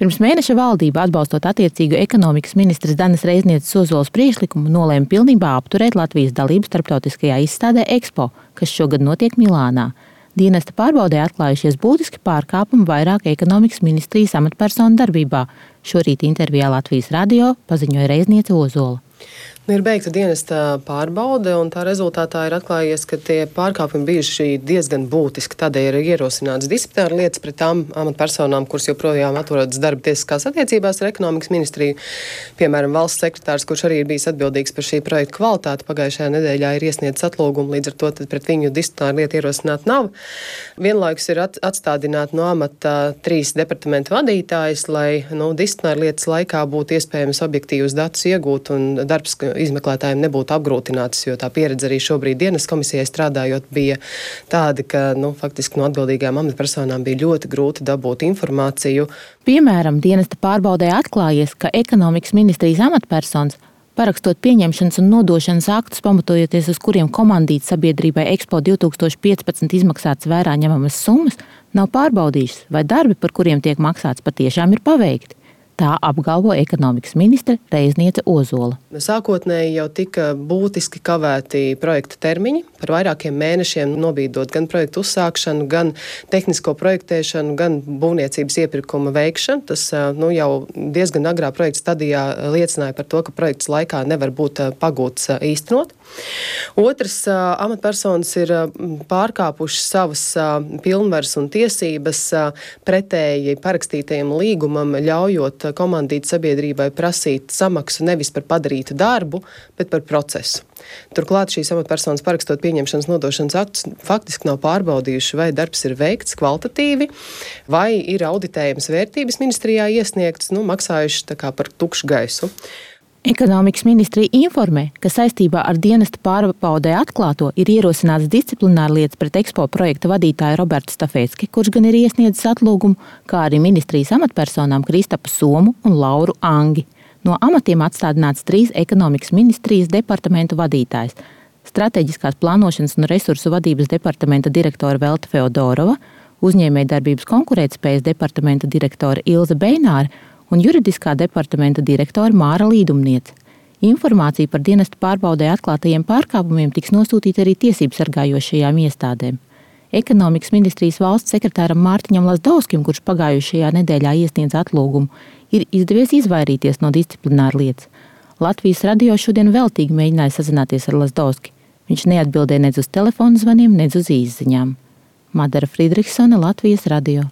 Pirms mēneša valdība, atbalstot attiecīgu ekonomikas ministres Danas Reiznieces Ozoles priekšlikumu, nolēma pilnībā apturēt Latvijas dalību starptautiskajā izstādē Expo, kas šogad notiek Milānā. Dienesta pārbaudē atklājušies būtiski pārkāpumi vairāk ekonomikas ministrijas amatpersonu darbībā. Šorīt intervijā Latvijas radio paziņoja Reizniece Ozola. Ir beigta dienesta pārbaude, un tā rezultātā ir atklājies, ka tie pārkāpumi bijuši diezgan būtiski. Tādēļ ir ierosināts disciplināra lietas pret tām amatpersonām, kuras joprojām atrodas darba tiesiskās attiecībās ar ekonomikas ministriju. Piemēram, valsts sekretārs, kurš arī ir bijis atbildīgs par šī projekta kvalitāti, pagājušajā nedēļā ir iesniedzis atlūgumu, līdz ar to pret viņu disciplināra lieta ierosināt nav. Vienlaikus ir atstādināti no amata 3 departamentu vadītājus, lai disciplināra lietas laikā būtu iespējams objektīvus datus iegūt un darbs izmeklētājiem nebūtu apgrūtināts, jo tā pieredze arī šobrīd dienas komisijai strādājot bija tāda, ka faktiski no atbildīgām amatpersonām bija ļoti grūti dabūt informāciju. Piemēram, dienesta pārbaudē atklājies, ka ekonomikas ministrijas amatpersonas, parakstot pieņemšanas un nodošanas aktus, pamatojoties uz kuriem komandīt sabiedrībai Expo 2015 izmaksātas vērā ņemamas summas, nav pārbaudījušas, vai darbi, par kuriem tiek maksāts, patiešām ir paveikti. Tā apgalvo ekonomikas ministre Reizniece Ozola. Sākotnēji jau tika būtiski kavēti projekta termiņi, par vairākiem mēnešiem nobīdot gan projektu uzsākšanu, gan tehnisko projektēšanu, gan būvniecības iepirkuma veikšanu. Tas jau diezgan agrā projekta stadijā liecināja par to, ka projekts laikā nevar būt pagūts īstenot. Otrs, amatpersonas ir pārkāpušas savas pilnvaras un tiesības pretēji parakstītajam līgumam, ļaujot komandīt sabiedrībai prasīt samaksu nevis par padarītu darbu, bet par procesu. Turklāt šīs amatpersonas parakstot pieņemšanas nodošanas aktus faktiski nav pārbaudījuši, vai darbs ir veikts kvalitatīvi, vai ir auditējums vērtības ministrijā iesniegts, maksājuši tā kā par tukšu gaisu. Ekonomikas ministrija informē, ka saistībā ar dienesta pārbaudē atklāto ir ierosināts disciplināra lietas pret Expo projekta vadītāju Robertu Stafecki, kurš gan ir iesniedzis atlūgumu, kā arī ministrijas amatpersonām Kristapu Somu un Lauru Angi. No amatiem atstādināts 3 ekonomikas ministrijas departamentu vadītājs – strateģiskās plānošanas un resursu vadības departamenta direktora Velta Feodorova, uzņēmējdarbības konkurētspējas departamenta direktora Ilze Beināre un juridiskā departamenta direktora Māra Līdumniece. Informācija par dienesta pārbaudē atklātajiem pārkāpumiem tiks nosūtīta arī tiesību sargājošajām iestādēm. Ekonomikas ministrijas valsts sekretāram Mārtiņam Lazdovskim, kurš pagājušajā nedēļā iesniedz atlūgumu, ir izdevies izvairīties no disciplināra lietas. Latvijas radio šodien veltīgi mēģināja sazināties ar Lazdovski. Viņš neatbildēja nedz uz telefonu zvaniem, nedz uz īsziņām. Madara Friedrichsone, Latvijas radio.